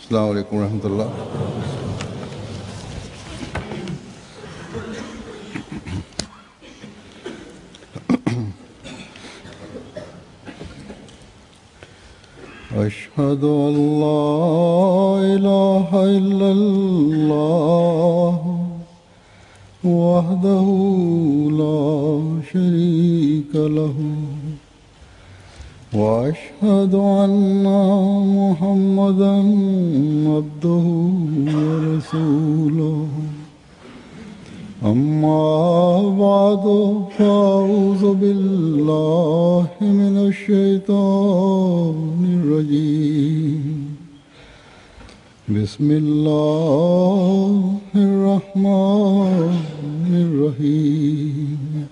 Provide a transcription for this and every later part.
अस्सलाम वालेकुम रहमतुल्लाह। अशहदु अल्ला इलाहा इल्लल्लाह वहदहु ला शरीका लहू وأشهد أن محمدا عبده ورسوله أما بعد فأعوذ بالله من الشيطان الرجيم بسم الله الرحمن الرحيم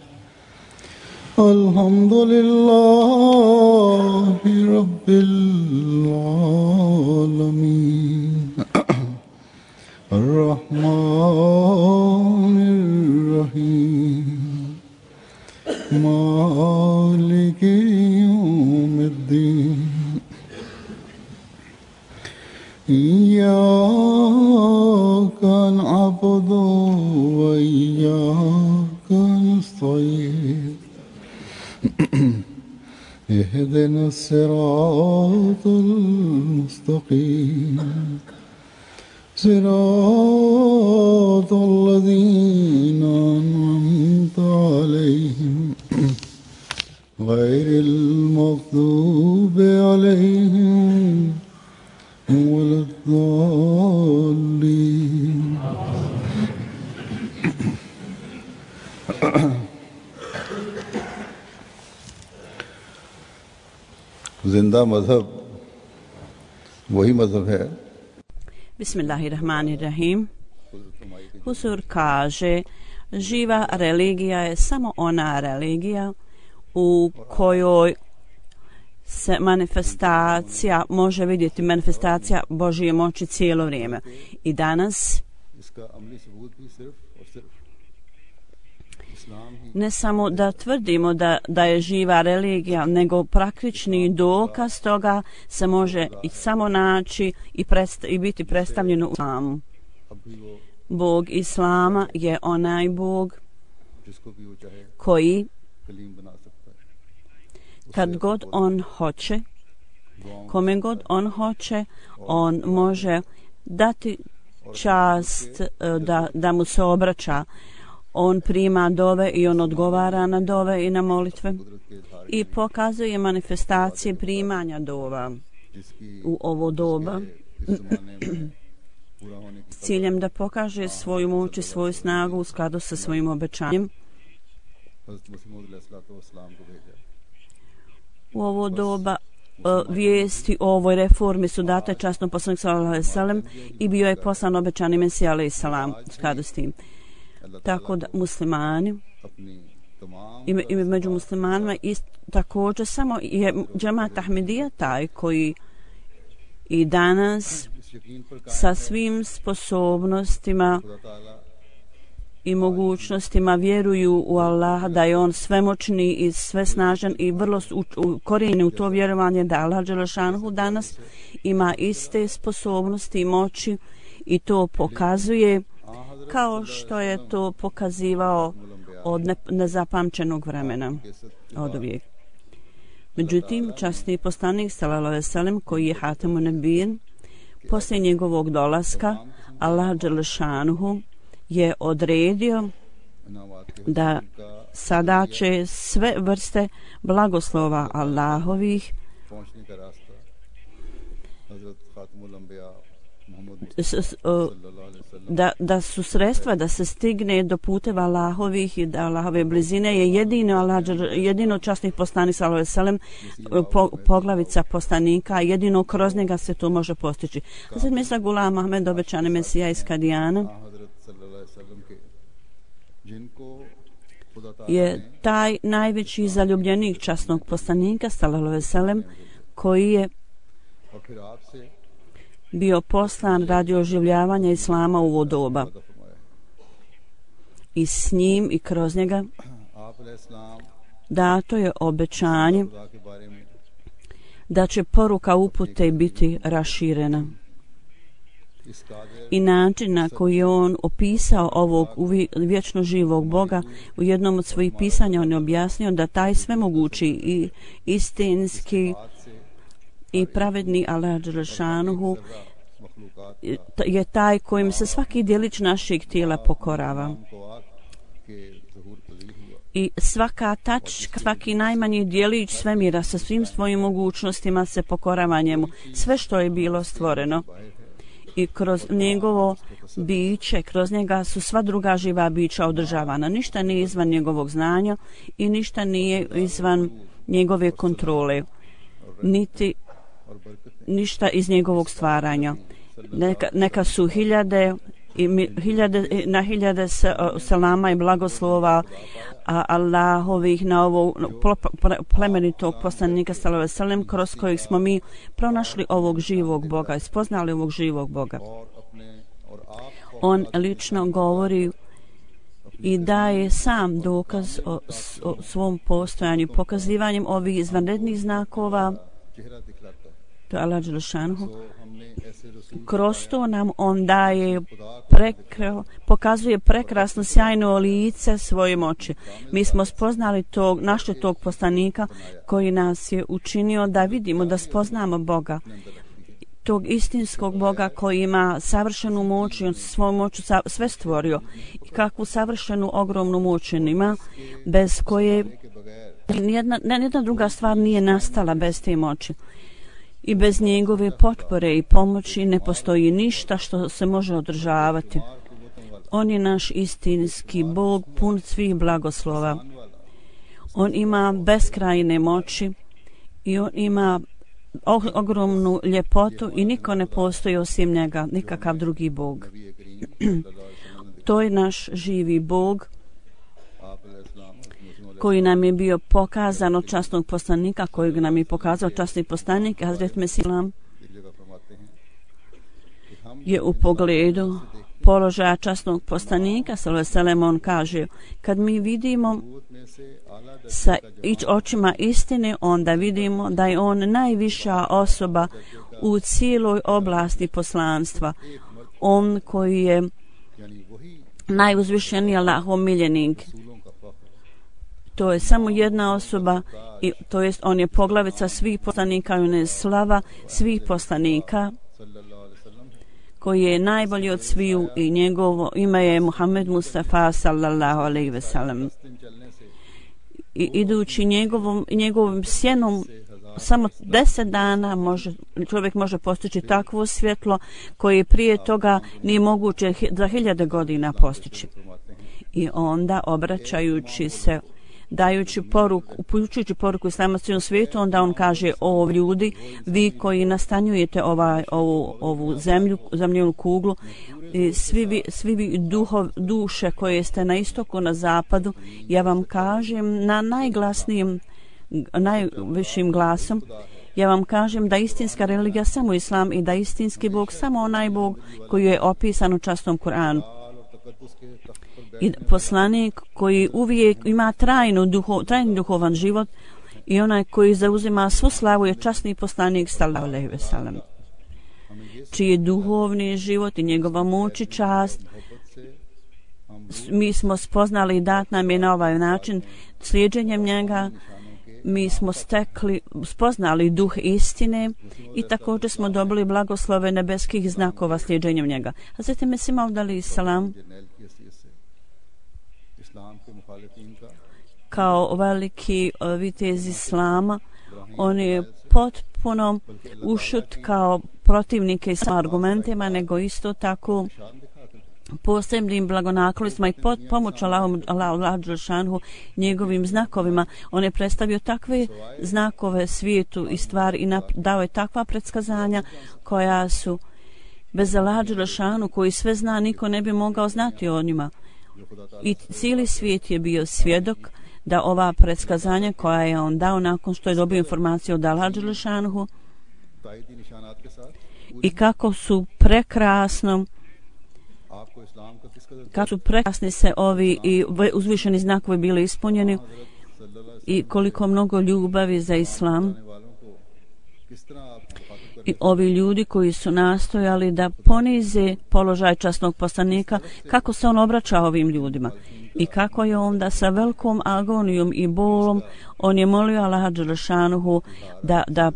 الحمد لله رب العالمين الرحمن الرحيم مالك يوم الدين إياك نعبد وإياك نستعين اهدنا الصراط المستقيم صراط الذين أنعمت عليهم غير المغضوب عليهم ولا الضالين जिंदा मजहब वही मजहब है। Bismillahirrahmanirrahim. Huzur kaže, živa religija je samo ona religija u kojoj se može vidjeti manifestacija Božje moći cijelo vrijeme. I danas ne samo da tvrdimo da je živa religija, nego praktični dokaz toga se može i samo naći i biti predstavljeno u islamu. Bog Islama je onaj Bog koji kad god on hoće, kome god on hoće, on može dati čast da mu se obraća. On prima dove i on odgovara na dove i na molitve i pokazuje manifestacije primanja dova u ovo doba s ciljem da pokaže svoju moć i svoju snagu u skladu sa svojim obećanjem. U ovo doba vijesti o ovoj reformi su date časnom poslaniku sallallahu alejhi ve sellem i bio je poslan obećani Mesija alejhi selam u skladu s tim. Tako da muslimani i među muslimanima također samo je džemat Ahmedija taj koji i danas sa svim sposobnostima i mogućnostima vjeruju u Allaha, da je on svemoćni i svesnažan i vrlo korijeni u to vjerovanje da Allah dželešanhu danas ima iste sposobnosti i moći i to pokazuje kao što je to pokazivao od nezapamćenog vremena od uvijek. Međutim, časni poslanik sallallahu alejhi ve sellem koji je Hatemun Nebijin, poslije njegovog dolaska Allah dželešanuhu je odredio da sada će sve vrste blagoslova Allahovih da su sredstva da se stigne do puteva Allahovih i da Allahove blizine je jedino časnih poslanik sallallahu alejhi ve sellem poglavica poslanika, jedino kroz njega se to može postići. Hazret Mirza Gulam Ahmed, obećani Mesija iz Kadijana, je taj najveći zaljubljenik časnog poslanika sallallahu alejhi ve sellem koji je bio poslan radi oživljavanja islama u ovo doba. I s njim i kroz njega dato je obećanje da će poruka upute biti raširena. i način na koji je on opisao ovog vječno živog Boga. U jednom od svojih pisanja on je objasnio da taj svemogući i istinski i pravedni Allah dželešanuhu je taj kojim se svaki djelić našeg tijela pokorava. I svaka tačka, svaki najmanji djelić svemira sa svim svojim mogućnostima se pokorava njemu. Sve što je bilo stvoreno. I kroz njegovo biće, kroz njega su sva druga živa bića održavana. Ništa nije izvan njegovog znanja i ništa nije izvan njegove kontrole. Niti ništa iz njegovog stvaranja. Neka su hiljade na hiljade selama i blagoslova Allahovih na ovog plemenitog poslanika sallallahu alejhi ve sellem, kroz kojeg smo mi pronašli ovog živog Boga i spoznali ovog živog Boga. On lično govori i daje sam dokaz o svom postojanju, pokazivanjem ovih izvanrednih znakova. To je Allah dželešanuhu. Kroz to nam on daje pokazuje prekrasno sjajno lice svoje moći. Mi smo spoznali našli tog poslanika koji nas je učinio da vidimo, da spoznamo Boga, tog istinskog Boga koji ima savršenu moć i on svojom moću sve stvorio. I kakvu savršenu ogromnu moć ima, bez koje nijedna druga stvar nije nastala bez te moći. I bez njegove potpore i pomoći ne postoji ništa što se može održavati. On je naš istinski Bog, pun svih blagoslova. On ima beskrajne moći i on ima ogromnu ljepotu i niko ne postoji osim njega, nikakav drugi Bog. To je naš živi Bog koji nam je bio pokazan od časnog poslanika, kojeg nam je pokazao časni poslanik Hazret Mesih je u pogledu položaja časnog poslanika sallallahu alejhi ve sellem, on kaže: kad mi vidimo sa očima istine, onda vidimo da je on najviša osoba u cijeloj oblasti poslanstva, on koji je najuzvišeniji Allahov miljenik. To je samo jedna osoba, i to jest on je poglavica svih poslanika i on je slava svih poslanika, koji je najbolji od sviju, i njegovo ime je Muhammed Mustafa sallallahu alejhi ve sellem. I idući njegovim sjenom samo 10 dana čovjek može postići takvo svjetlo koje prije toga nije moguće za 1000 godina postići. I onda obraćajući se, dajući poruku, upućujući poruku islama cijelom svijetu, onda on kaže: o ljudi, vi koji nastanjujete ovu zemljenu kuglu, i svi vi duše koje ste na istoku, na zapadu, ja vam kažem na najvišim glasom, ja vam kažem da istinska religija samo islam i da istinski Bog samo onaj Bog koji je opisan u časnom Kur'anu. I poslanik koji uvijek ima trajni duhovan život i onaj koji zauzima svu slavu je časni poslanik sallallahu alejhi ve sellem, čiji je duhovni život i njegova moć i čast mi smo spoznali i dat nam je na ovaj način. Slijedženjem njega mi smo spoznali duh istine i također smo dobili blagoslove nebeskih znakova slijedženjem njega. Hazret Mesih Maud alejhi salam kao veliki vitez islama, on je potpuno ušut kao protivnike s argumentima, nego isto tako posebnim blagonaklonostima i pomoć Allahu dželešanuhu njegovim znakovima. On je predstavio takve znakove svijetu i stvari i dao je takva predskazanja koja su bez Allaha dželešanuhu, koji sve zna, niko ne bi mogao znati o njima. I cijeli svijet je bio svjedok da ova predskazanja koja je on dao nakon što je dobio informaciju od Allaha dželešanuhu i kako su prekrasni se ovi i uzvišeni znakovi bili ispunjeni i koliko mnogo ljubavi za islam I ovi ljudi koji su nastojali da ponize položaj časnog poslanika, kako se on obraća ovim ljudima i kako je onda sa velikom agonijom i bolom on je molio Allaha dželešanuhu da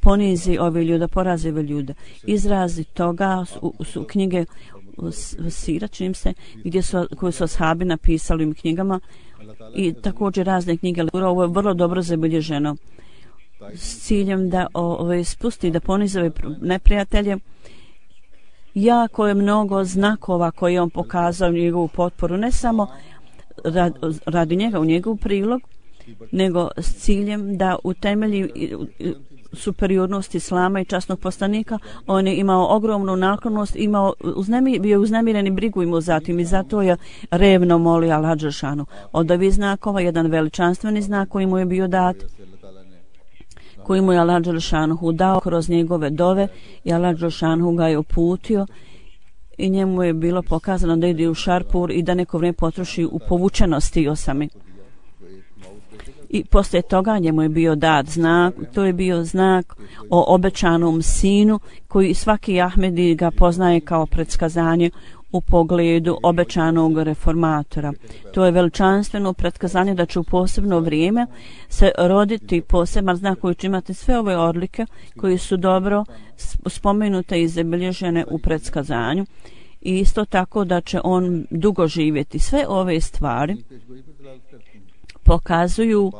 ponizi ove ljude, da porazi ove ljude. Izrazi toga su knjige Sira, čini se, koje su ashabi napisali u knjigama i također razne knjige. Ovo je vrlo dobro zabilježeno s ciljem da spusti, da ponizi ove neprijatelje. Jako je mnogo znakova koje on pokazao njegovu potporu, ne samo radi njega, u njegov prilog, nego s ciljem da utemelji superiornost islama i časnog poslanika. On je imao ogromnu naklonost, bio uznemiren i brigu imao zatim i zato je revno molio Allaha dželešanu. Od ovih znakova jedan veličanstveni znak koji mu je bio dat, koji mu je Allaha dželešanu dao kroz njegove dove i Allaha dželešanu ga je uputio i njemu je bilo pokazano da ide u Šarpur i da neko vrijeme potroši u povučenosti osami. I poslije toga njemu je bio dat znak, to je bio znak o obećanom sinu koji svaki Ahmedi ga poznaje kao predskazanje u pogledu obećanog reformatora. To je veličanstveno predskazanje da će u posebno vrijeme se roditi poseban znak koji će imati sve ove odlike koji su dobro spomenute i zabilježene u predskazanju i isto tako da će on dugo živjeti. Sve ove stvari pokazuju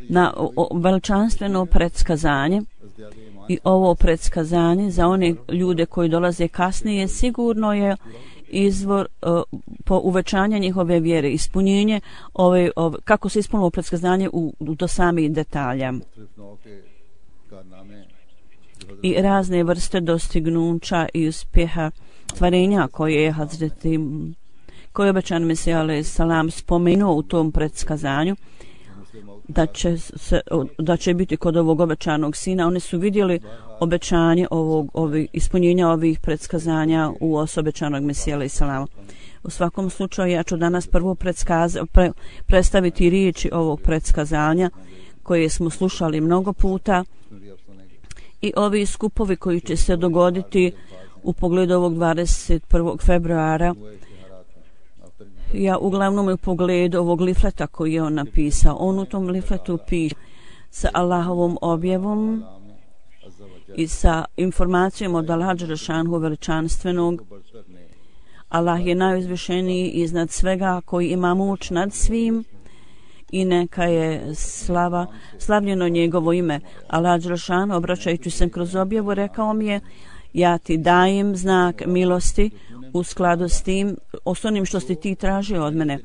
na veličanstveno predskazanje i ovo predskazanje za one ljude koji dolaze kasnije sigurno je izvor uvećanja njihove vjere, ispunjenje kako se ispunilo predskazanje do samih detalja i razne vrste dostignuća i uspjeha stvarenja koje je Hazreti koji je obećan Mesija alejhi selam spomenuo u tom predskazanju da će biti kod ovog obećanog sina. Oni su vidjeli obećanje ispunjenja ovih predskazanja u osobi obećanog Mesija alejhi selam. U svakom slučaju ja ću danas prvo predstaviti riječi ovog predskazanja koje smo slušali mnogo puta i ovi skupovi koji će se dogoditi u pogledu ovog 21. februara. Ja uglavnom u pogledu ovog lifleta koji je on napisao. On u tom lifletu piše sa Allahovom objavom i sa informacijom od Allaha dželešanu veličanstvenog. Allah je najuzvišeniji iznad svega, koji ima moć nad svim i neka je slavljeno njegovo ime. Allah dželešanu, obraćajući se kroz objavu, rekao mi je: ja ti dajem znak milosti u skladu s tim, onim što si ti tražio od mene.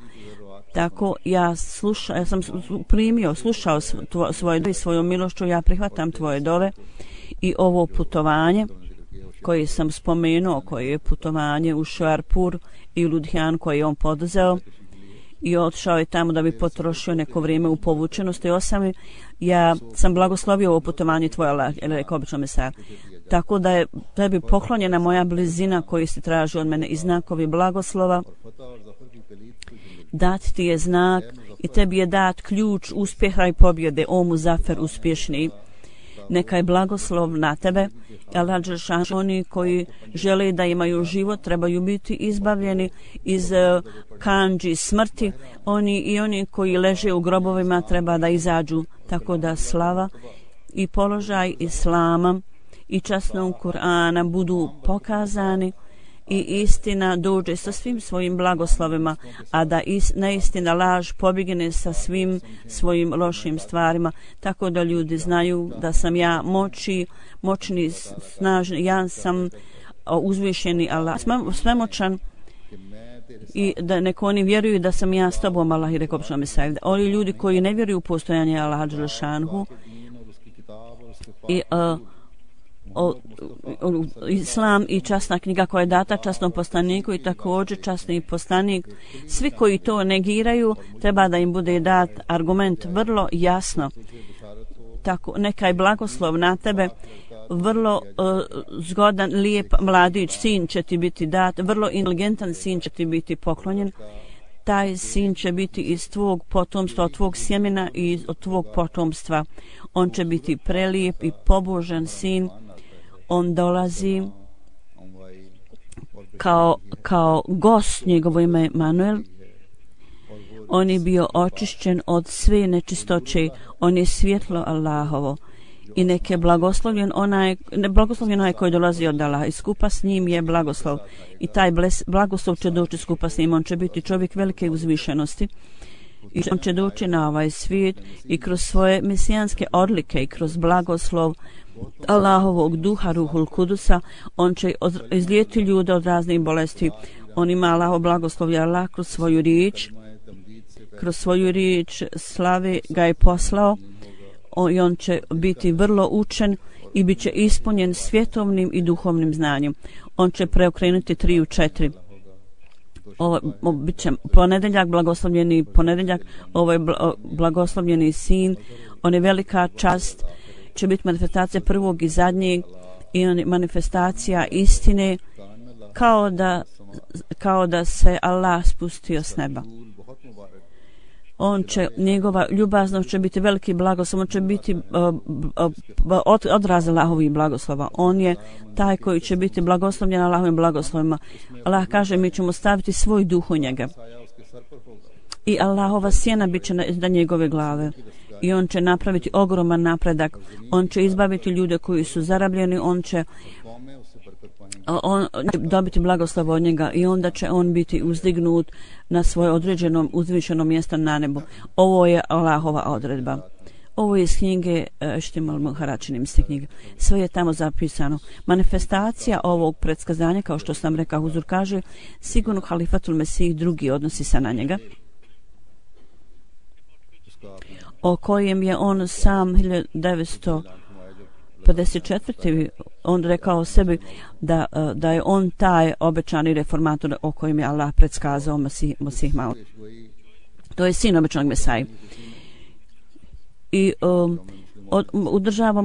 Tako ja sam slušao svoju milošću, ja prihvatam tvoje dove i ovo putovanje koje sam spomenuo, koje je putovanje u Šarpur i Ludhijan koje je on poduzeo i otišao je tamo da bi potrošio neko vrijeme u povučenosti osami. Ja sam blagoslovio ovo putovanje tvoje, rekao obično Mesija. Tako da je tebi poklonjena moja blizina koju si traži od mene i znakovi blagoslova. Dat ti je znak i tebi je dat ključ uspjeha i pobjede, o Muzafer uspješni. Neka je blagoslov na tebe. Allah dželešanu, oni koji žele da imaju život trebaju biti izbavljeni iz kandži smrti. Oni koji leže u grobovima treba da izađu. Tako da slava i položaj islama i časnog Kur'ana budu pokazani i istina dođe sa svim svojim blagoslovima, a da neistina, laž pobjegne sa svim svojim lošim stvarima, tako da ljudi znaju da sam ja moćni, snažni, ja sam uzvišeni Allah, svemoćan, i da neko oni vjeruju da sam ja s tobom, Allah i rekao što mi sajde. Oni ljudi koji ne vjeruju u postojanje Allaha dželešanhu i islam i časna knjiga koja je data časnom poslaniku i također časni poslanik, svi koji to negiraju treba da im bude dat argument vrlo jasno. Tako, neka je blagoslov na tebe, vrlo zgodan, lijep mladić, sin će ti biti dat, vrlo inteligentan sin će ti biti poklonjen. Taj sin će biti iz tvog potomstva, od tvog sjemena i od tvog potomstva. On će biti prelijep i pobožan sin On dolazi kao gost, njegovo ime je Manuel. On je bio očišćen od sve nečistoće, on je svjetlo Allahovo. I neke blagoslovljen onaj koji dolazi od Allaha i skupa s njim je blagoslov. I taj blagoslov će doći skupa s njim, on će biti čovjek velike uzvišenosti. I on će doći na ovaj svijet i kroz svoje mesijanske odlike i kroz blagoslov Allahovog duha Ruhul Kudusa, on će izlijeti ljude od raznih bolesti. On ima Allahov blagoslov i Allah kroz svoju riječ slave ga je poslao i on će biti vrlo učen i bit će ispunjen svjetovnim i duhovnim znanjem. On će preokrenuti 3 u 4. Ovo bit će ponedjeljak, blagoslovljeni ponedjeljak, ovo je blagoslovljeni sin, on je velika čast, će biti manifestacija prvog i zadnjeg i on je manifestacija istine kao da se Allah spustio s neba. Njegova ljubaznost će biti veliki blagoslov, on će biti odraz Allahovih blagoslova. On je taj koji će biti blagoslovljen Allahovim blagoslovima. Allah kaže, mi ćemo staviti svoj duh u njega. I Allahova sjena bit će na njegove glave. I on će napraviti ogroman napredak. On će izbaviti ljude koji su zarabljeni, on će dobiti blagoslov od njega i onda će on biti uzdignut na svoje određenom uzvišenom mjesto na nebu. Ovo je Allahova odredba. Ovo je iz knjige Štimal Muharačinim knjige. Sve je tamo zapisano. Manifestacija ovog predskazanja, kao što sam rekao, Huzur kaže, sigurno Halifatul Mesih drugi odnosi se na njega, o kojem je on sam 1954. on rekao sebi da je on taj obećani reformator o kojem je Allah predskazao Mesih Maud. To je sin obećanog Mesaji. I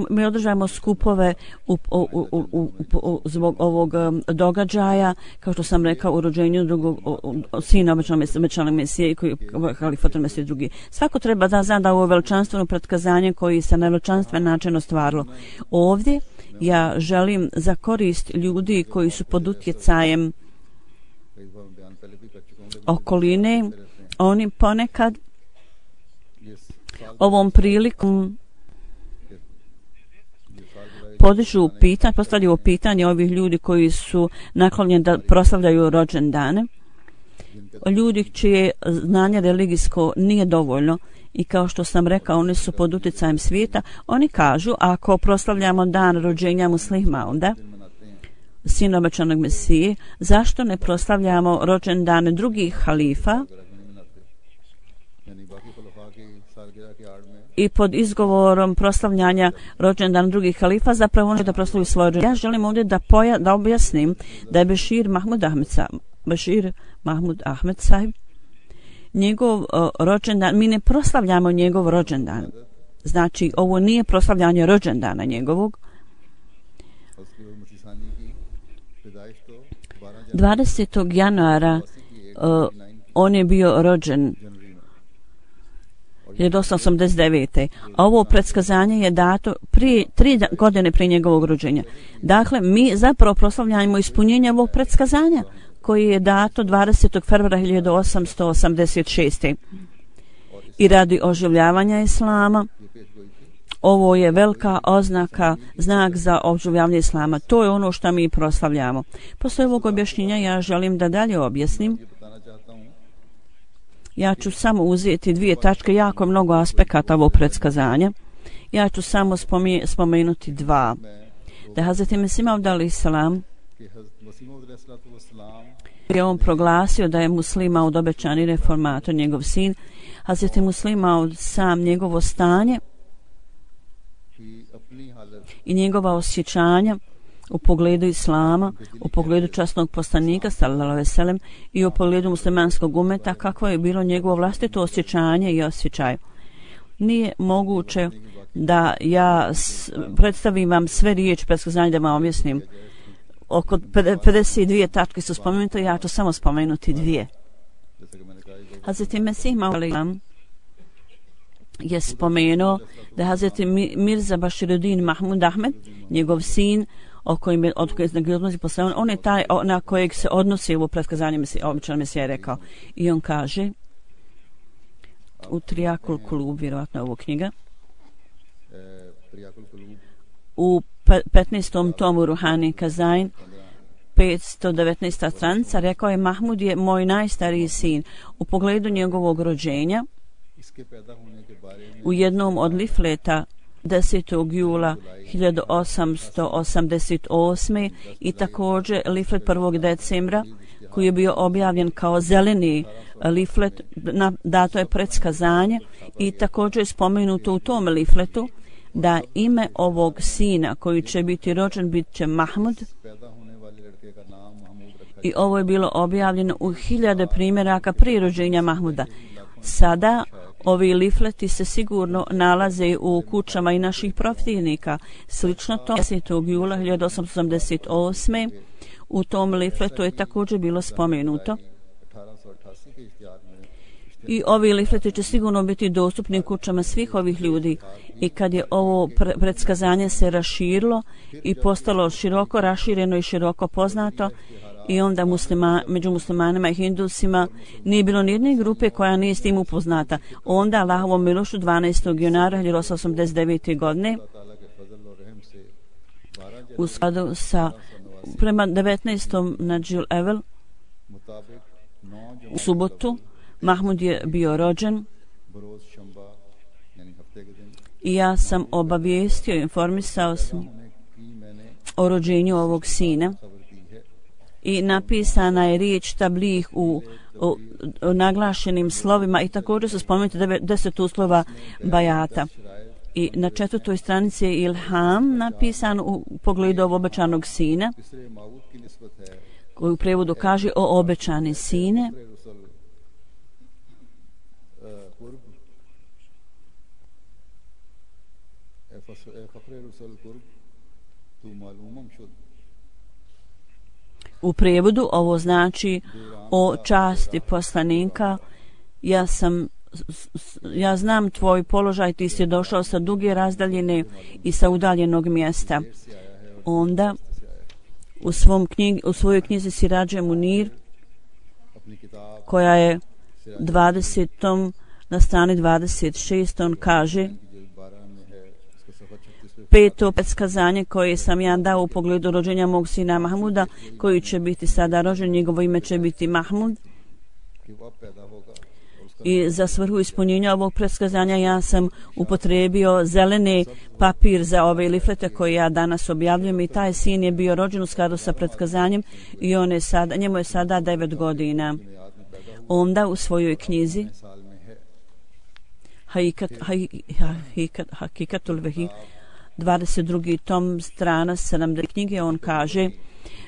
mi održavamo skupove zbog ovog događaja, kao što sam rekao, u rođenju drugog sina obećanog Mesije i koji Halifatul Mesih drugi. Svako treba da zna da ovo veličanstveno pretkazanje koji se na veličanstven način ostvarilo. Ovdje ja želim za korist ljudi koji su pod utjecajem okoline, oni ponekad ovom prilikom postavljaju pitanje ovih ljudi koji su naklonjeni da proslavljaju rođendane, ljudi čije znanje religijsko nije dovoljno i kao što sam rekao, oni su pod utjecajem svijeta. Oni kažu, ako proslavljamo dan rođenja Muslih Mauda, sina obećanog Mesije, zašto ne proslavljamo rođendane drugih halifa i pod izgovorom proslavljanja rođendana drugih halifa zapravo oni da proslavljaju svoje rođendane. Ja želim ovdje da objasnim da je Bešir Mahmud Ahmed sahib, njegov rođendan, mi ne proslavljamo njegov rođendan. Znači, ovo nije proslavljanje rođendana njegovog. 20. januara on je bio rođen 1889. A ovo predskazanje je dato 3 godine prije njegovog rođenja. Dakle, mi zapravo proslavljamo ispunjenje ovog predskazanja koji je dato 20. februara 1886. I radi oživljavanja Islama, ovo je velika oznaka, znak za oživljavanje Islama. To je ono što mi proslavljamo. Posle ovog objašnjenja ja želim da dalje objasnim. Ja ću samo uzeti 2 tačke, jako mnogo aspekata ovog predskazanja. Ja ću samo spomenuti 2. Da Hazreti Mesih Maud alejhi selam je on proglasio da je Muslih Maud obećani reformator, njegov sin. Hazreti Muslih Maud sam, njegovo stanje i njegova osjećanja u pogledu Islama, u pogledu časnog poslanika sallallahu alejhi ve sellem i u pogledu muslimanskog umeta, kakvo je bilo njegovo vlastito osjećanje i osjećaj. Nije moguće da ja predstavim vam sve riječi predskazanja da vam objasnim. Oko 52 tačke su spomenute, ja ću samo spomenuti 2. Hazreti Mesih Maud alejhi selam je spomenuo da Hazreti Mirza Bashiruddin Mahmud Ahmed, njegov sin, o kojim je odnosi posle, on je taj na kojeg se odnosi ovo predskazanje običan Mesija je rekao. I on kaže u Triakul Kulub, vjerovatno ovo knjiga, u 15. tomu Ruhani Kazain, 519. stranica, rekao je: Mahmud je moj najstariji sin. U pogledu njegovog rođenja u jednom od lifleta 10. jula 1888. i također liflet 1. decembra koji je bio objavljen kao zeleni liflet, dato je predskazanje i također je spomenuto u tom lifletu da ime ovog sina koji će biti rođen bit će Mahmud, i ovo je bilo objavljeno u 1000 primjeraka prije rođenja Mahmuda. Sada ovi lifleti se sigurno nalaze u kućama i naših protivnika. Slično to 10. jula 1888. u tom lifletu je također bilo spomenuto. I ovi lifleti će sigurno biti dostupni u kućama svih ovih ljudi. I kad je ovo predskazanje se raširilo i postalo široko rašireno i široko poznato, i onda među muslimanima i hindusima nije bilo nijedne grupe koja nije s tim upoznata. Onda Allahovom milošću 12. januara 1889. godine u skladu sa prema 19. Nadžil Evel u subotu Mahmud je bio rođen i ja sam obavijestio, informisao sam o rođenju ovog sina. I napisana je riječ tablih u naglašenim slovima i također su spomenuti 10 uslova bajata. I na 4. stranici je Ilham napisan u pogledu ovog obećanog sina, koji u prevodu kaže: o obećani sine, u prevodu ovo znači: o časti poslanika, ja znam tvoj položaj, ti si došao sa duge razdaljine i sa udaljenog mjesta. Onda u svojoj knjizi Sirađe Munir, koja je 20. na strani 26. on kaže: 5. predskazanje koje sam ja dao u pogledu rođenja mog sina Mahmuda, koji će biti sada rođen, njegovo ime će biti Mahmud. I za svrhu ispunjenja ovog predskazanja ja sam upotrebio zeleni papir za ove liflete koje ja danas objavljujem, i taj sin je bio rođen u skladu sa predskazanjem i njemu je sada 9 godina. Onda u svojoj knjizi Hakikatul Vehi, 22. tom, strana 70 knjige, on kaže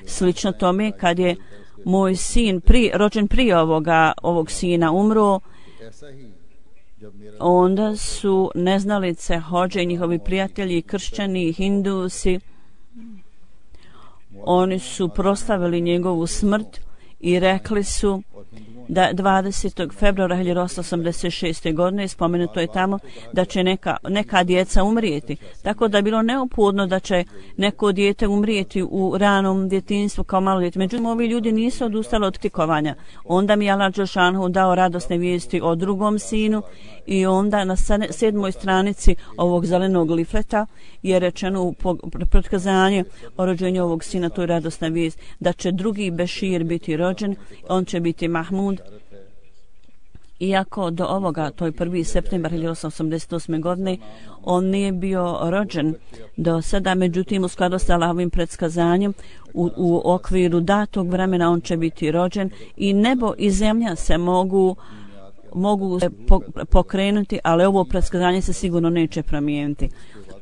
slično tome: kad je moj sin rođen prije ovog sina umro, onda su neznalice, hođe, njihovi prijatelji, kršćani, hindusi, oni su proslavili njegovu smrt i rekli su da 20. februara 1886. godine spomenuto je tamo da će neka djeca umrijeti. Tako da je bilo neophodno da će neko dijete umrijeti u ranom djetinjstvu kao malo dijete. Međutim, ovi ljudi nisu odustali od tikovanja. Onda mi je Allah Đelešanu dao radosne vijesti o drugom sinu, i onda na 7. stranici ovog zelenog lifleta je rečeno u predskazanju o rođenju ovog sina, to je radosna vijest, da će drugi Bešir biti rođen, on će biti Mahmud. Iako do ovoga, to je 1. septembar 1888. godine, on nije bio rođen do sada, međutim u skladu sa Allahovim predskazanjem u okviru datog vremena on će biti rođen, i nebo i zemlja se mogu se pokrenuti, ali ovo predskazanje se sigurno neće promijeniti.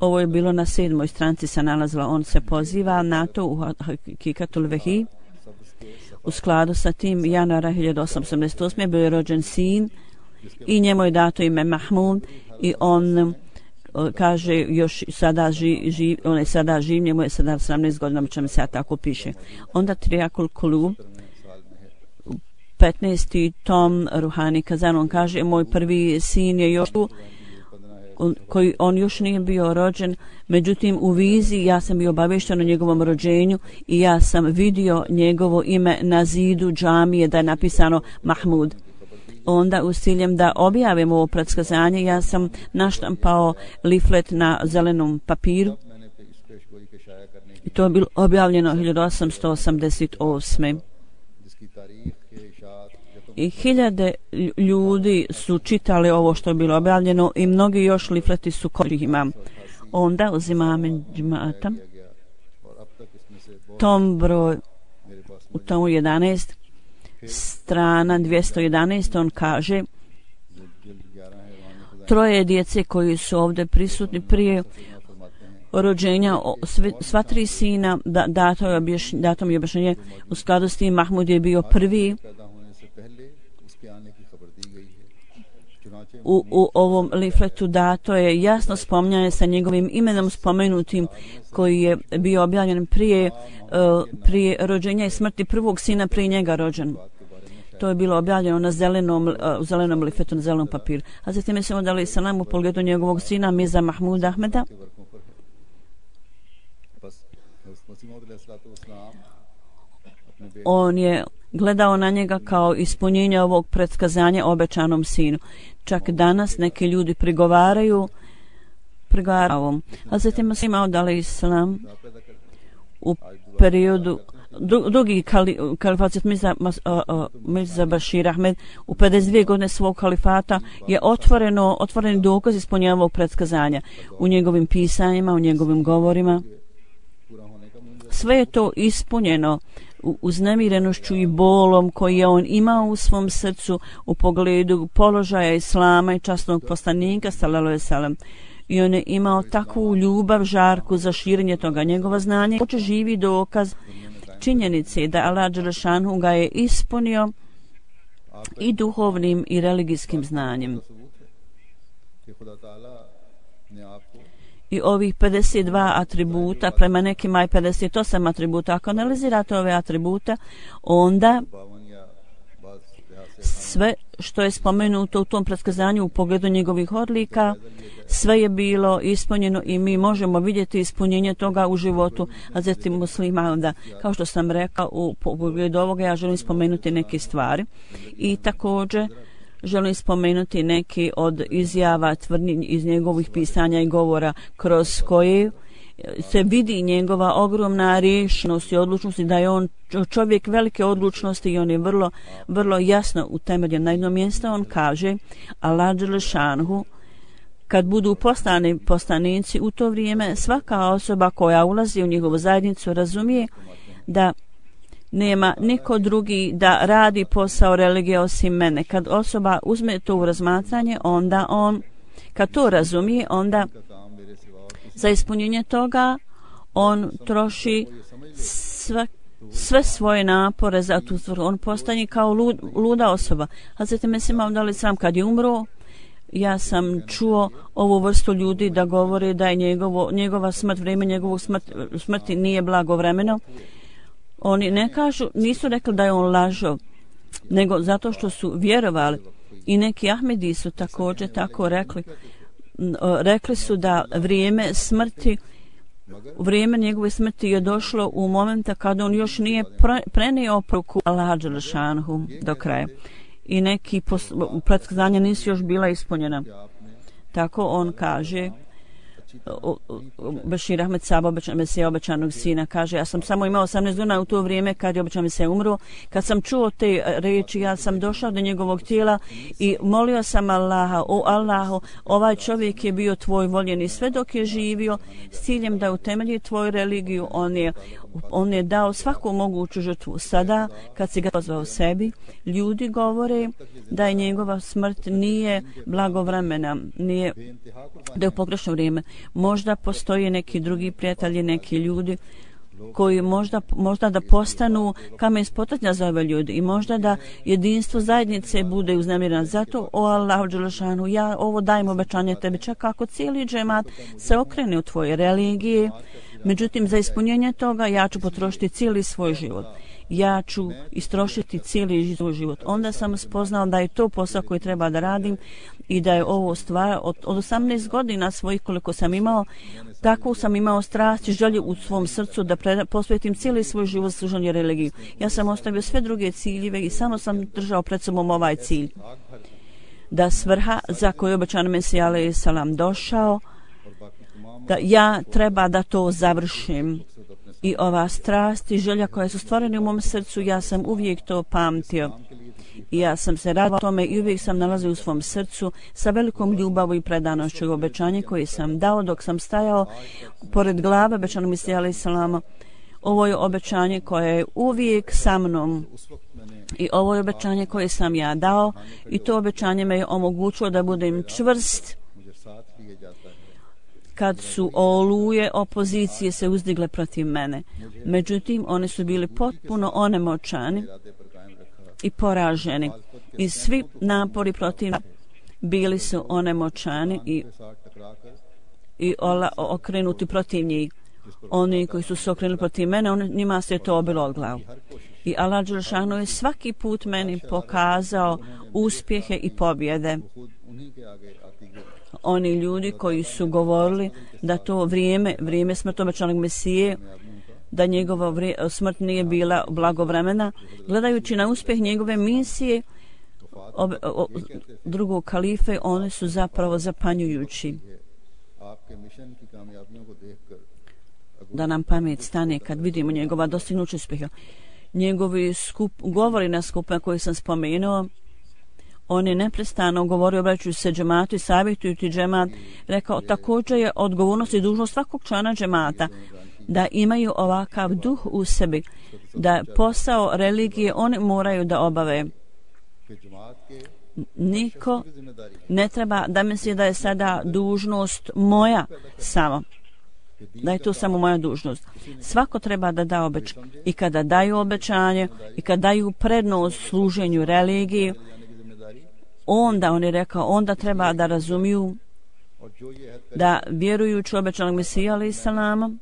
Ovo je bilo na 7. stranici se nalazilo. On se poziva na to u Hakikatul Vehi. U skladu sa tim januara 1888. bio je rođen sin i njemu je dato ime Mahmud, i on kaže još sada on je sada živ, njemu je sada 18 godina, čemu se tako piše. Onda Triakul Kulub, 15. tom Ruhani Kazan, on kaže: moj prvi sin je još tu, koji on još nije bio rođen, međutim u viziji ja sam bio obavješten o njegovom rođenju i ja sam vidio njegovo ime na zidu džamije da je napisano Mahmud. Onda u ciljem da objavim ovo predskazanje ja sam naštampao liflet na zelenom papiru i to je bilo objavljeno 1888. I hiljade ljudi su čitali ovo što je bilo objavljeno i mnogi još lifleti su korima. Onda uzimam džemata tom broj u tomu 11 strana 211 on kaže troje djece koji su ovdje prisutni prije rođenja sva tri sina dato mi objašnjenje u skladu s tim Mahmud je bio prvi u ovom lifletu dato je jasno spominjanje sa njegovim imenom spomenutim koji je bio objavljen prije rođenja i smrti prvog sina prije njega rođen. To je bilo objavljeno na zelenom lifletu, na zelenom papiru. A zatim je se onda dali salam u pogledu njegovog sina Mirza Mahmuda Ahmeda. On je gledao na njega kao ispunjenje ovog predskazanja obećanom sinu. Čak danas neki ljudi prigovaraju ovom. A zatim se imao dali islam u periodu drugi kalifat Mirza Bashir Ahmed u 52 godine svog kalifata je otvoreni dokaz ispunjenja ovog predskazanja u njegovim pisanjima, u njegovim govorima. Sve je to ispunjeno uznemirenošću i bolom koji je on imao u svom srcu u pogledu položaja islama i časnog poslanika sallallahu alejhi ve sellem. I on je imao takvu ljubav, žarku za širenje toga njegova znanja. Hoće živi dokaz činjenice da Allah dželešanu ga je ispunio i duhovnim i religijskim znanjem. I ovih 52 atributa, prema nekima i 58 atributa, ako analizirate ove atributa, onda sve što je spomenuto u tom predskazanju u pogledu njegovih odlika, sve je bilo ispunjeno i mi možemo vidjeti ispunjenje toga u životu Hazreti Muslima. Onda, kao što sam rekao, u pogledu ovoga ja želim spomenuti neke stvari i također želim spomenuti neki od izjava, tvrdnji iz njegovih pisanja i govora kroz koje se vidi njegova ogromna rješnost i odlučnost i da je on čovjek velike odlučnosti i on je vrlo jasno utemeljen. Na jedno mjesto on kaže Allah dželešanhu kad budu poslanici u to vrijeme svaka osoba koja ulazi u njegovu zajednicu razumije da nema niko drugi da radi posao religije osim mene. Kad osoba uzme to u razmatranje, onda on, kad to razumije, onda za ispunjenje toga on troši sve svoje napore za tu stvar. On postane kao luda osoba. A zatim mislim da li sam kad je umro, ja sam čuo ovu vrstu ljudi da govore da je njegova smrt, vrijeme njegovog smrti nije blagovremeno. Oni ne kažu, nisu rekli da je on lažo, nego zato što su vjerovali. I neki Ahmedi su također tako rekli. Rekli su da vrijeme njegove smrti je došlo u momenta kada on još nije prenio poruku Allaha dželešanhu do kraja. I neki predskazanja nisu još bila ispunjena. Tako on kaže, Bashir Ahmed Saba, Mesija obećanog sina, kaže, ja sam samo imao 18 godina u to vrijeme kad je obećan Mesija umro. Kad sam čuo te riječi, ja sam došao do njegovog tijela i molio sam Allaha, o Allahu, ovaj čovjek je bio tvoj voljeni sve dok je živio s ciljem da utemelji tvoju religiju. On je dao svaku moguću žrtvu. Sada, kad si ga pozvao sebi, ljudi govore da je njegova smrt nije blagovremena, da je u pogrešno vrijeme. Možda postoje neki drugi prijatelji, neki ljudi koji možda da postanu kamen spoticanja za ove ljudi i možda da jedinstvo zajednice bude uznemireno. Zato, o Allahu dželešanu, ja ovo dajem obećanje tebi, čak ako cijeli džemat se okrene u tvoje religije. Međutim, za ispunjenje toga ja ću potrošiti cijeli svoj život. ja ću istrošiti cijeli svoj život. Onda sam spoznao da je to posao koji treba da radim i da je ovo stvar od 18 godina svojih koliko sam imao, tako sam imao strast i želju u svom srcu da posvetim cijeli svoj život služenju religiji. Ja sam ostavio sve druge ciljeve i samo sam držao pred sobom ovaj cilj. Da svrha za koju obećan Mesija alejhi selam došao, da ja treba da to završim. I ova strast i želja koja su stvorene u mom srcu, ja sam uvijek to pamtio. I ja sam se radila tome i uvijek sam nalazio u svom srcu sa velikom ljubavom i predanošću obećanje koje sam dao dok sam stajao pored glave obećanog Mesija alejhi selama. Ovo je obećanje koje je uvijek sa mnom. I ovo je obećanje koje sam ja dao i to obećanje me je omogućilo da budem čvrst kad su oluje opozicije se uzdigle protiv mene. Međutim, oni su bili potpuno onemoćani i poraženi. I svi napori protiv bili su onemoćani i okrenuti protiv njih. Oni koji su se okrenuli protiv mene, njima se to obilo od glavu. I Allah dželešanu je svaki put meni pokazao uspjehe i pobjede. Oni ljudi koji su govorili da to vrijeme smrti obećanog Mesije, da njegova smrt nije bila blagovremena, gledajući na uspjeh njegove misije drugog kalife, oni su zapravo zapanjujući. Da nam pamet stane kad vidimo njegova dostignuća uspjeha. Njegovi govori na skupima koje sam spomenuo, on je neprestano govorio obraćajući se džematu i savjetujući džemat, rekao također je odgovornost i dužnost svakog člana džemata da imaju ovakav duh u sebi, da posao religije oni moraju da obave. Niko ne treba da misli da je sada dužnost moja samo, da je to samo moja dužnost. Svako treba da da obećanje. I kada daju obećanje i kada daju prednost služenju religiji, onda on je rekao, onda treba da razumiju da vjerujući obećanog Mesija alejhi selama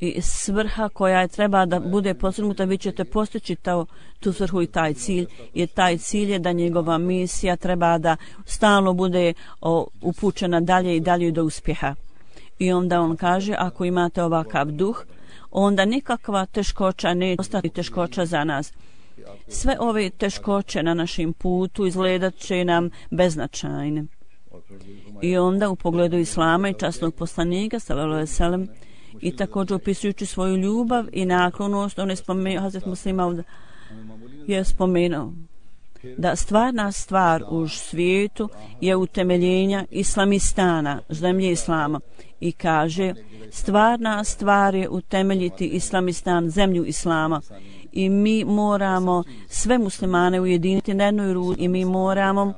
i svrha koja je treba da bude postignuta, vi ćete postići tu svrhu i taj cilj. Jer taj cilj je da njegova misija treba da stalno bude upućena dalje i dalje do uspjeha. I onda on kaže, ako imate ovakav duh, onda nikakva teškoća neće ostati teškoća za nas. Sve ove teškoće na našem putu izgledat će nam beznačajne. I onda u pogledu Islama i časnog poslanika sallallahu alejhi ve sellem i također opisujući svoju ljubav i naklonost, on je spomenuo, Hazret Muslima je spomenuo da stvarna stvar u svijetu je utemeljenja Islamistana, zemlje Islama, i kaže stvarna stvar je utemeljiti Islamistan, zemlju Islama, i mi moramo sve muslimane ujediniti na jednoj ruci i mi moramo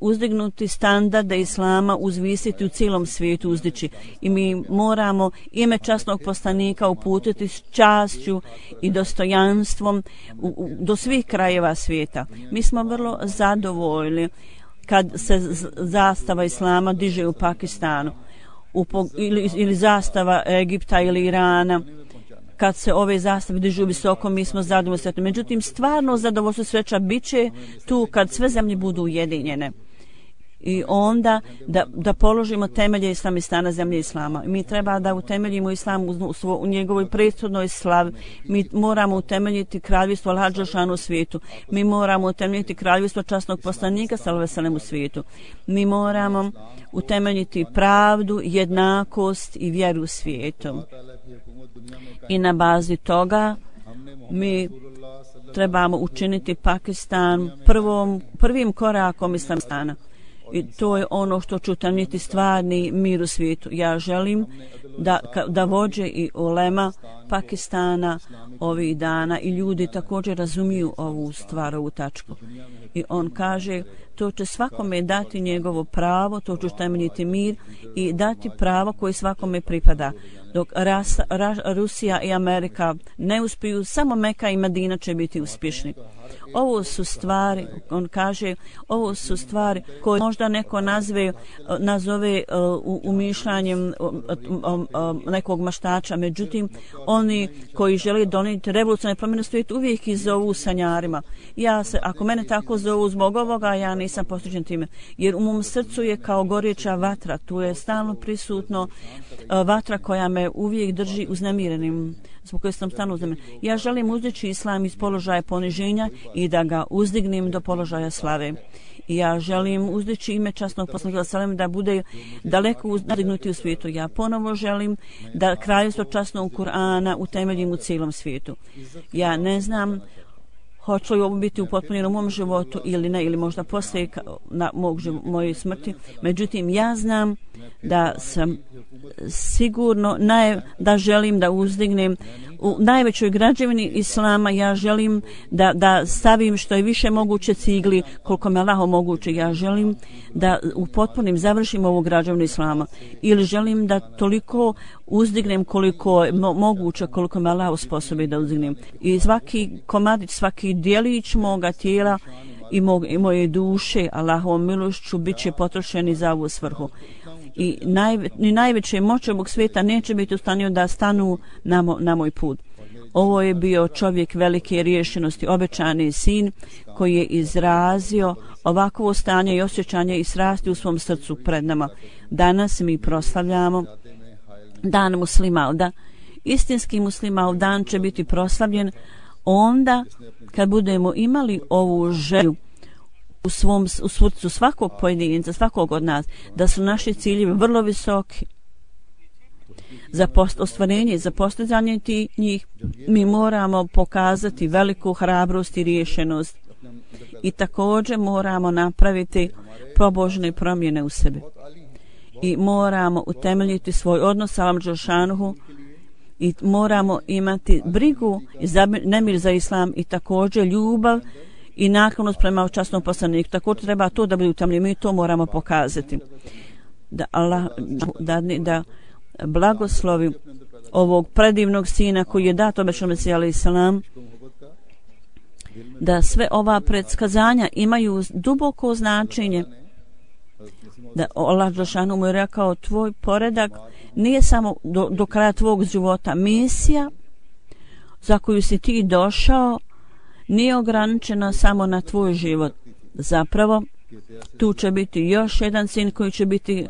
uzdignuti standarde Islama, uzvisiti u cijelom svijetu, uzdići. I mi moramo ime časnog poslanika uputiti s čašću i dostojanstvom do svih krajeva svijeta. Mi smo vrlo zadovoljni kad se zastava Islama diže u Pakistanu ili zastava Egipta ili Irana. Kad se ove zastave dižu visoko, mi smo zadovoljni. Međutim, stvarno zadovoljstvo sreća bit će tu kad sve zemlje budu ujedinjene. I onda da položimo temelje Islamistana, zemlje Islama. Mi treba da utemeljimo Islam u njegovoj prethodnoj slavi. Mi moramo utemeljiti kraljevstvo Allaha dželešanu u svijetu. Mi moramo utemeljiti kraljevstvo časnog poslanika sallallahu alejhi ve sellem u svijetu. Mi moramo utemeljiti pravdu, jednakost i vjeru u svijetu. I na bazi toga mi trebamo učiniti Pakistan prvim korakom Islamistana. I to je ono što će utemeljiti stvarni mir u svijetu. Ja želim da vođe i ulema Pakistana ovih dana i ljudi također razumiju ovu stvar, ovu tačku. I on kaže, to će svakome dati njegovo pravo, to će utemeljiti mir i dati pravo koje svakome pripada. Dok Rusija i Amerika ne uspiju, samo Meka i Medina će biti uspješni. Ovo su stvari, on kaže, ovo su stvari koje možda neko nazove umišljanjem nekog maštača, međutim oni koji žele donijeti revolucionarne promjene u svijetu uvijek ih zovu sanjarima. Ako mene tako zovu zbog ovoga, ja nisam posvećen time, jer u mom srcu je kao gorjeća vatra, tu je stalno prisutno vatra koja me uvijek drži uznemirenim, zbog koje sam stalno uznemiren. Ja želim uzdići islam iz položaja poniženja i da ga uzdignem do položaja slave. I ja želim uzdići ime časnog poslanika sallam da bude daleko uzdignuti u svijetu. Ja ponovo želim da kraljevstvo časnog Kur'ana utemeljim u cijelom svijetu. Ja ne znam hoće li ovo biti upotpunjeno u mom životu ili ne, ili možda poslije moje smrti. Međutim, ja znam da sam sigurno da želim da uzdignem u najvećoj građevini islama. Ja želim da stavim što je više moguće cigli koliko me Allah omogući. Ja želim da upotpunim, završim ovu građevinu islama, ili želim da toliko uzdignem koliko je moguće, koliko me Allah osposobi da uzdignem. I svaki komadić, svaki dijelić moga tijela i moje duše Allahovom milošću bit će potrošeni za ovu svrhu. I najveće moće ovog svijeta neće biti u stanju da stanu na moj put. Ovo je bio čovjek velike riješenosti, obećani sin koji je izrazio ovakvo stanje i osjećanje i srasti u svom srcu pred nama. Danas mi proslavljamo dan Muslimalda. Istinski Muslimaldan će biti proslavljen onda kad budemo imali ovu želju u srcu svakog pojedinca, svakog od nas, da su naši ciljevi vrlo visoki. Za ostvarenje, za postizanje njih mi moramo pokazati veliku hrabrost i riješenost i također moramo napraviti pobožne promjene u sebi i moramo utemeljiti svoj odnos sa Allahom dželšanuhu i moramo imati brigu i nemir za islam i također ljubav i naklonost prema časnom poslaniku. Također treba to da bude utemeljeno, mi to moramo pokazati. Da Allah da blagoslovi ovog predivnog sina koji je dat obećanom Mesiji alejhi selam, da sve ova predskazanja imaju duboko značenje, da Allah dželešanu mu je rekao tvoj poredak nije samo do kraja tvog života. Misija za koju si ti došao nije ograničena samo na tvoj život. Zapravo tu će biti još jedan sin koji će biti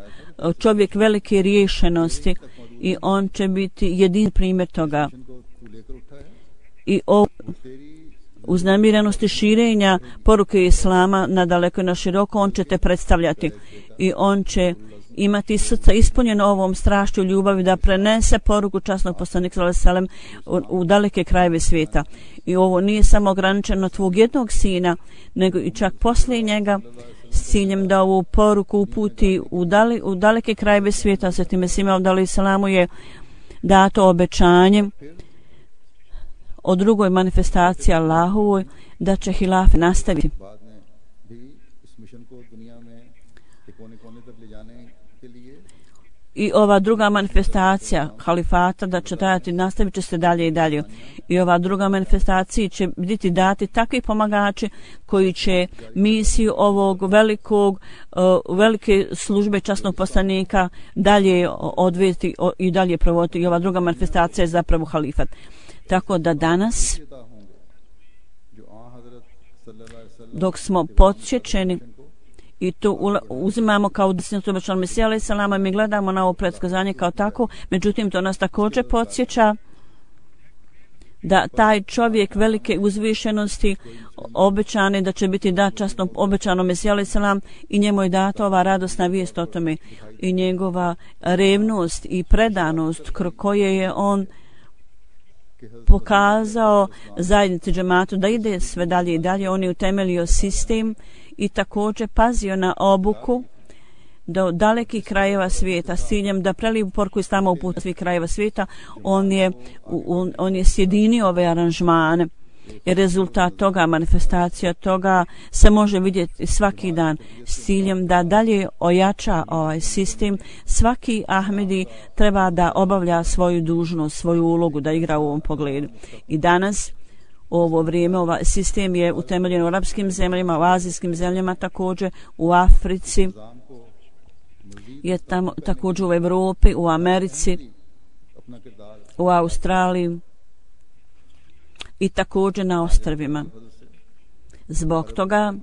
čovjek velike riješenosti i on će biti jedin primjer toga. I o uznemirenosti širenja poruke islama na daleko i na široko on će te predstavljati i on će imati srca ispunjeno ovom strašću ljubavi da prenese poruku časnog poslanika sallallahu alejhi ve sellem u daleke krajeve svijeta. I ovo nije samo ograničeno na tvog jednog sina, nego i čak poslije njega s ciljem da ovu poruku uputi u daleke krajeve svijeta. Svetim Mesih alejhi selamu je dato obećanje o drugoj manifestaciji Allahovoj da će hilafe nastaviti. I ova druga manifestacija halifata da će trajati, nastavit će se dalje i dalje. I ova druga manifestacija će biti dati takvi pomagači koji će misiju ovog velike službe časnog poslanika dalje odvesti i dalje provoditi. I ova druga manifestacija je zapravo halifat. Tako da danas, dok smo podsjećeni i to uzimamo kao desnicu obećanog Mesija alejhi selama, mi gledamo na ovo predskazanje kao tako, međutim to nas također podsjeća da taj čovjek velike uzvišenosti obećane da će biti dat časno obećano Mesija alejhi selam i njemu je data ova radosna vijest o tome i njegova revnost i predanost koje je on pokazao zajednici džematu da ide sve dalje i dalje. On je utemeljio sistem i također pazio na obuku do dalekih krajeva svijeta s ciljem da preliju poruku islama u put svih krajeva svijeta. On je sjedinio ove aranžmane I rezultat toga, manifestacija toga se može vidjeti svaki dan s ciljem da dalje ojača ovaj sistem. Svaki Ahmedi treba da obavlja svoju dužnost, svoju ulogu, da igra u ovom pogledu. I danas ovo vrijeme, ovaj sistem je utemeljen u arapskim zemljama, u azijskim zemljama također, u Africi, je tamo, također u Evropi, u Americi, u Australiji i također na ostrvima. Zbog toga,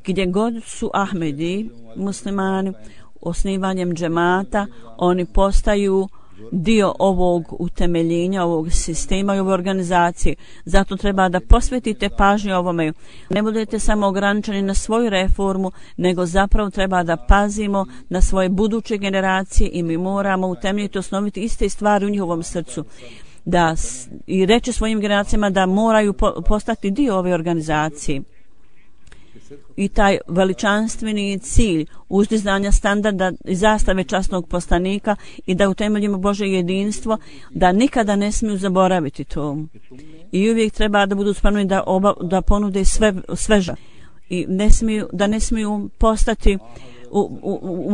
gdje god su Ahmedi, muslimani, osnivanjem džemata, oni postaju dio ovog utemeljenja, ovog sistema i ove organizacije. Zato treba da posvetite pažnju ovome. Ne budete samo ograničeni na svoju reformu, nego zapravo treba da pazimo na svoje buduće generacije i mi moramo utemeljiti, osnoviti iste stvari u njihovom srcu. I reći svojim generacijama da moraju postati dio ove organizacije. I taj veličanstveni cilj uzdizanja standarda i zastave časnog poslanika i da utemeljimo Božje jedinstvo, da nikada ne smiju zaboraviti to. I uvijek treba da budu spremni da ponude sveža. I ne smiju postati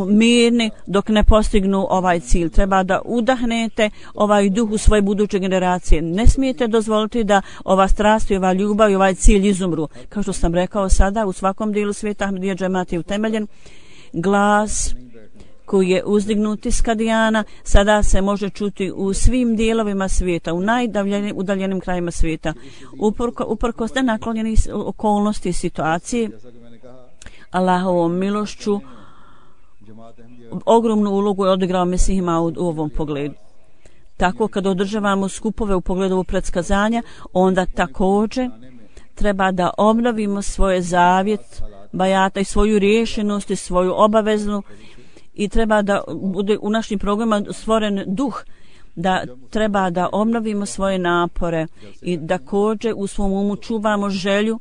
mirni dok ne postignu ovaj cilj. Treba da udahnete ovaj duh u svoje buduće generacije. Ne smijete dozvoliti da ova strast i ova ljubav i ovaj cilj izumru. Kao što sam rekao sada, u svakom dijelu svijeta Ahmedija džemat je utemeljen. Glas koji je uzdignut iz Kadijana sada se može čuti u svim dijelovima svijeta, u najdaljenim krajima svijeta. Uprkos nenaklonjenih okolnosti i situacije, Allahovom milošću ogromnu ulogu je odigrao Mesih Maud u ovom pogledu. Tako kad održavamo skupove u pogledu predskazanja, onda također treba da obnovimo svoje zavjet bajata i svoju riješenost i svoju obaveznu i treba da bude u našim programima stvoren duh, da treba da obnovimo svoje napore i da također u svom umu čuvamo želju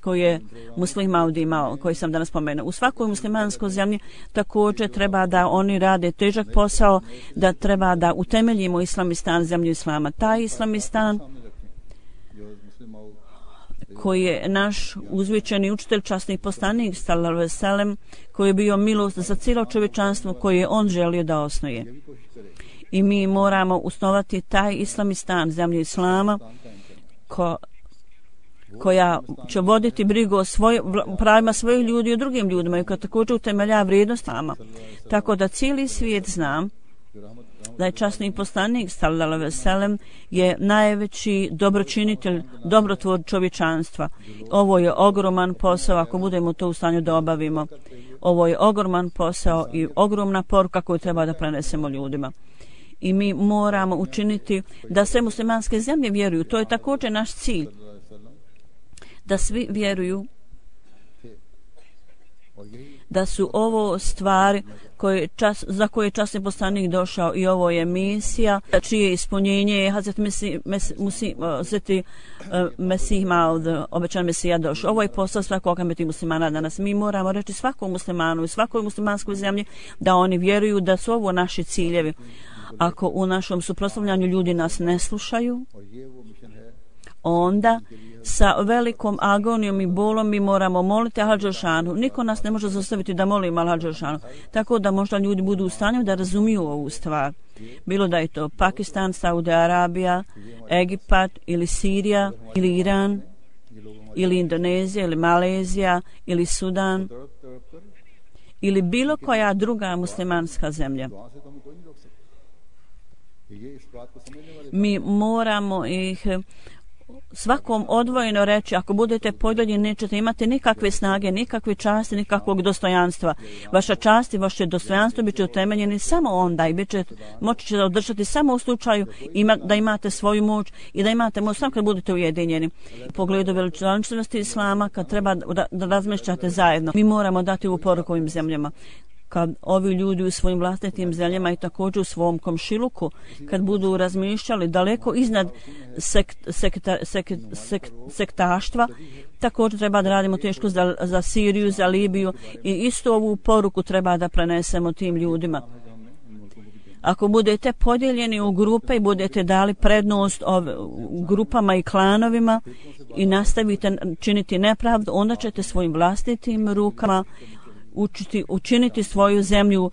koju je Muslim Maud imao, koji sam danas spomenuo. U svakoj muslimanskoj zemlji također treba da oni rade težak posao, da treba da utemeljimo Islamistan, zemlju Islama. Taj Islamistan koji je naš uzvičeni učitelj, časni poslanik sallallahu alejhi ve sellem, koji je bio milost za cijelo čovječanstvo, koje je on želio da osnuje. I mi moramo osnovati taj Islamistan, zemlju Islama, koja će voditi brigu o pravima svojih ljudi i o drugim ljudima i koja također utemelja vrijednost nama. Tako da cijeli svijet zna da je časni poslanik sallallahu alejhi ve sellem je najveći dobročinitelj, dobrotvor čovječanstva. Ovo je ogroman posao ako budemo to u stanju da obavimo. Ovo je ogroman posao i ogromna poruka koju treba da prenesemo ljudima. I mi moramo učiniti da sve muslimanske zemlje vjeruju. To je također naš cilj. Da svi vjeruju da su ovo stvari za koje je časni poslanik došao i ovo je misija čije ispunjenje je Hazreti Mesih Maud, obećan Mesija došao. Ovo je posao svakog Ahmedi muslimana danas. Mi moramo reći svakom muslimanu i svakoj muslimanskoj zemlji da oni vjeruju da su ovo naši ciljevi. Ako u našom suprotstavljanju ljudi nas ne slušaju, onda sa velikom agonijom i bolom mi moramo moliti Allah dželešanu. Niko nas ne može zaustaviti da molimo Allah dželešanu. Tako da možda ljudi budu u stanju da razumiju ovu stvar. Bilo da je to Pakistan, Saudi Arabija, Egipat ili Sirija ili Iran ili Indonezija ili Malezija ili Sudan ili bilo koja druga muslimanska zemlja. Mi moramo ih svakom odvojeno reći, ako budete podijeljeni nećete imati nikakve snage, nikakve časti, nikakvog dostojanstva. Vaša čast i vaše dostojanstvo bit će utemeljeni samo onda i moći će održati samo u slučaju da imate svoju moć i da imate moć samo kad budete ujedinjeni. U pogledu veličanstvenosti Islama, kad treba da razmišljate zajedno, mi moramo dati u poruku ovim zemljama. Kad ovi ljudi u svojim vlastitim zemljama i također u svom komšiluku, kad budu razmišljali daleko iznad sektaštva, također treba da radimo teško za Siriju, za Libiju i isto ovu poruku treba da prenesemo tim ljudima. Ako budete podijeljeni u grupe i budete dali prednost grupama i klanovima i nastavite činiti nepravdu, onda ćete svojim vlastitim rukama učiniti svoju zemlju,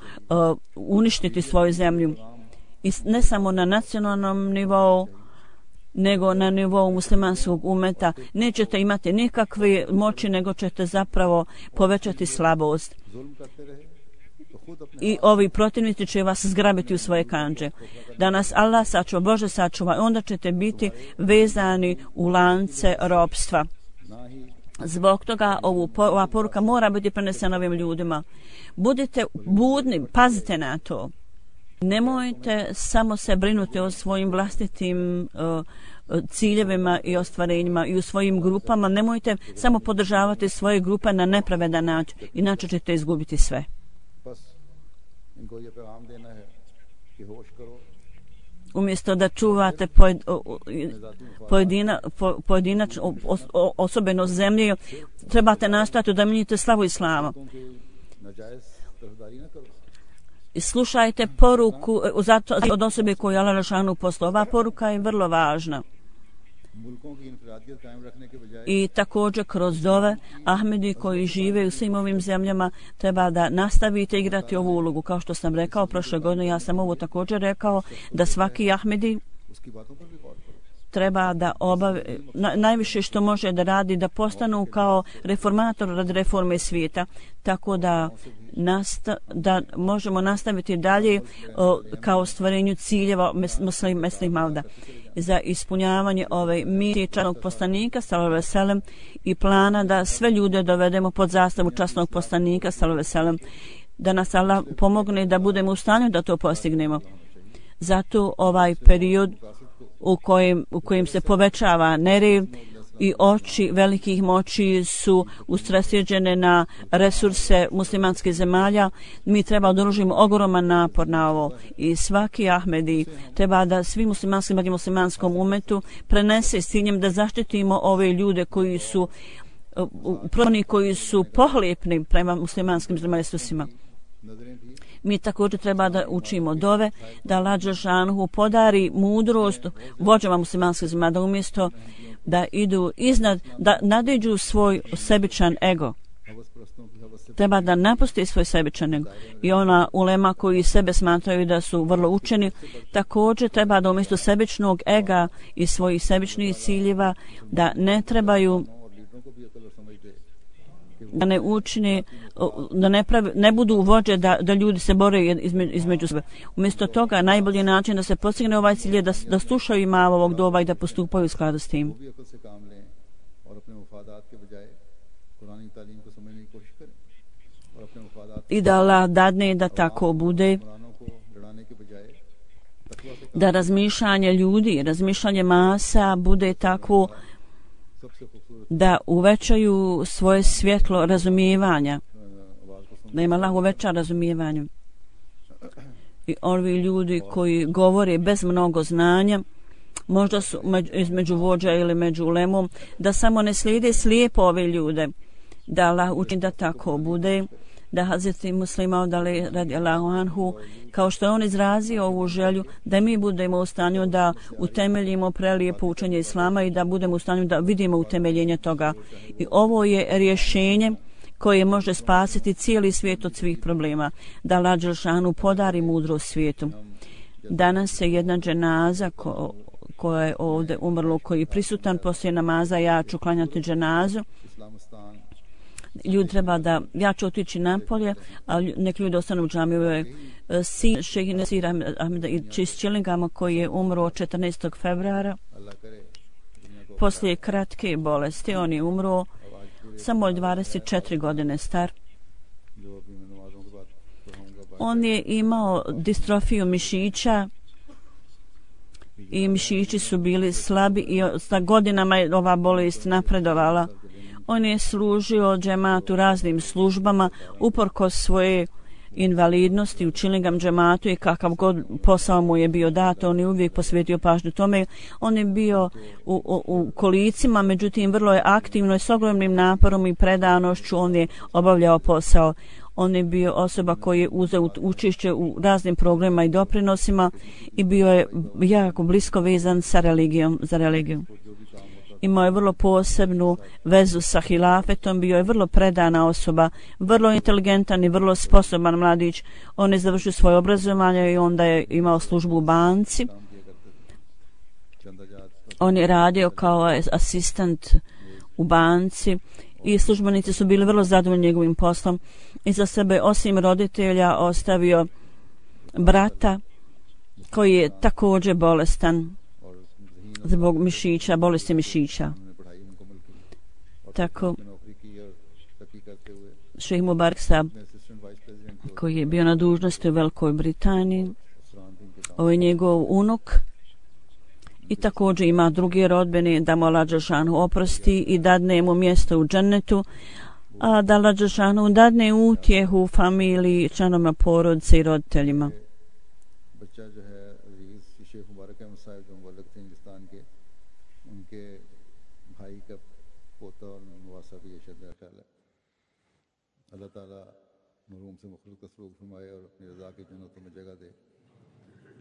uništiti svoju zemlju. I ne samo na nacionalnom nivou, nego na nivou muslimanskog umeta. Nećete imati nikakve moći, nego ćete zapravo povećati slabost. I ovi protivnici će vas zgrabiti u svoje kandže. Da nas Allah sačuva, Bože sačuva, onda ćete biti vezani u lance ropstva. Zbog toga ova poruka mora biti prenesena ovim ljudima. Budite budni, pazite na to. Nemojte samo se brinuti o svojim vlastitim ciljevima i ostvarenjima i u svojim grupama. Nemojte samo podržavati svoje grupe na nepravedan način, inače ćete izgubiti sve. Umjesto da čuvate pojedinačno osobenost zemlje, trebate nastojati da menjate slavu Islama. I slušajte poruku od osobe koju Allah dželešanu poslao. Ova poruka je vrlo važna. I također kroz dove Ahmedi koji žive u svim ovim zemljama treba da nastavite igrati ovu ulogu. Kao što sam rekao prošle godine, ja sam ovo također rekao, da svaki Ahmedi treba da najviše što može da radi, da postanu kao reformator radi reforme svijeta, tako da možemo nastaviti dalje kao stvarenju ciljeva mesnih mauda za ispunjavanje ove misije časnog poslanika sallallahu alejhi ve sellem i plana da sve ljude dovedemo pod zastavu časnog poslanika sallallahu alejhi ve sellem, da nas Allah pomogne da budemo u stanju da to postignemo. Zato ovaj period u kojem se povećava nered i oči velikih moći su usredsređene na resurse muslimanskih zemalja, mi treba da uložimo ogroman napor na ovo i svaki Ahmedi treba da svi muslimanskom umetu prenese s ciljem da zaštitimo ove ljude koji su pohlepni prema muslimanskim resursima. Mi također treba da učimo dove, da Allah dželešanu podari mudrost vođama muslimanskih zemalja, da umjesto da idu iznad, da nadiđu svoj sebičan ego. Treba da napusti svoj sebičan ego. I ona ulema koji sebe smatraju da su vrlo učeni, također treba da umjesto sebičnog ega i svojih sebičnih ciljeva da ne trebaju da ne učine, da ne budu vođe da ljudi se bore između sebe. Umjesto toga najbolji način da se postigne ovaj cilj je da slušaju ima ovog doba i da postupaju u skladu s tim. I da Allah dadne da tako bude, da razmišljanje ljudi, razmišljanje masa bude tako da uvećaju svoje svjetlo razumijevanja, da ima Allah uveća razumijevanje. I ovi ljudi koji govore bez mnogo znanja, možda su između vođa ili među ulemom, da samo ne slijede slijepo ove ljude, da Allah učini da tako bude, da Hazreti Muslima radijallahu anhu, kao što je on izrazio ovu želju, da mi budemo u stanju da utemeljimo prelijepo učenje Islama i da budemo u stanju da vidimo utemeljenje toga. I ovo je rješenje koje može spasiti cijeli svijet od svih problema, da Allah dželešanu podari mudrost svijetu. Danas je jedna dženaza koja je ovdje umrlo, koji je prisutan poslije namaza, ja ću klanjati dženazu. Ljudi treba da, ja ću otići napolje, a nek ljudi ostanu u džamiju. Sin šejh Nasir Ahmeda iz Chillingama koji je umro 14. februara poslije kratke bolesti. On je umro samo 24 godine star. On je imao distrofiju mišića i mišići su bili slabi i sa godinama je ova bolest napredovala. On je služio džematu raznim službama uprkos svoje invalidnosti u Chillingham džematu i kakav god posao mu je bio dato, on je uvijek posvetio pažnju tome. On je bio u kolicima, međutim vrlo je aktivno i s ogromnim naporom i predanošću on je obavljao posao. On je bio osoba koji je uzeo učešće u raznim programima i doprinosima i bio je jako blisko vezan sa religijom, za religiju. Imao je vrlo posebnu vezu sa hilafetom, bio je vrlo predana osoba, vrlo inteligentan i vrlo sposoban mladić. On je završio svoje obrazovanje i onda je imao službu u banci. On je radio kao asistent u banci i službenici su bili vrlo zadovoljni njegovim poslom. I za sebe, osim roditelja, ostavio brata koji je također bolestan zbog mišića, bolesti mišića. Tako Šejh Mubarak Sahab, koji je bio na dužnosti u Velikoj Britaniji, ovo je njegov unuk i također ima drugi rodbine, da mu Allah dželešanu oprosti i dadne mu mjesto u džennetu, a da Allah dželešanu dadne utjehu familiji, članovima porodice i roditeljima. अल्लाह ताला मरहूम से मुखलिफ का सलूक फरमाए और अपनी रज़ा की जन्नतों में जगह दे।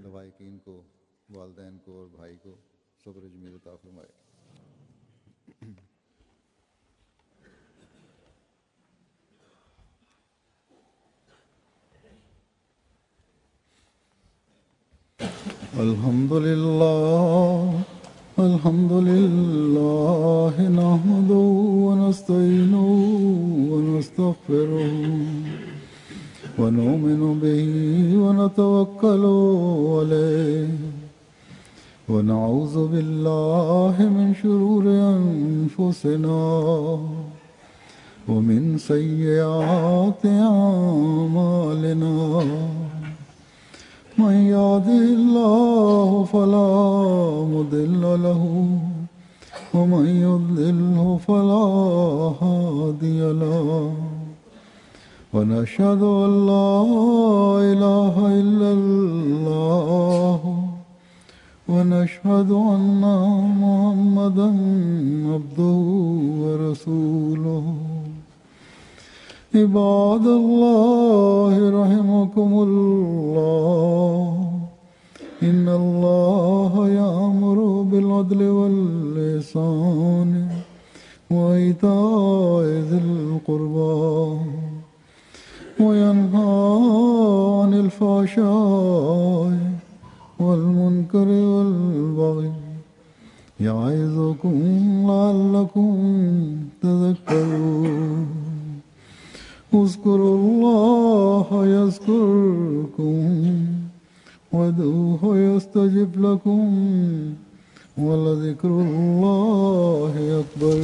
लवाइकीन को, वालिदैन को और भाई को सब्र जमील अता फरमाए। अल्हम्दुलिल्लाह नहमदुहु व नस्तईनुहु व नस्तगफिरुहु व नु'मिनु बिही व नतवक्कलु अलैहि व नऊज़ु बिल्लाहि मिन शुरूरि अनफुसिना व मिन सय्यिआति अमालिना من يهده الله فلا مضل له ومن يضلله فلا هادي له ونشهد أن لا إله إلا الله ونشهد أن محمدا عبده ورسوله عباد الله رحمكم الله إن الله يأمر بالعدل والإحسان وإيتاء ذي القربى وينهى عن الفحشاء والمنكر والبغي يعظكم لعلكم تذكرون اذكروا الله يذكركم وادعوه يستجب لكم ولذكر الله أكبر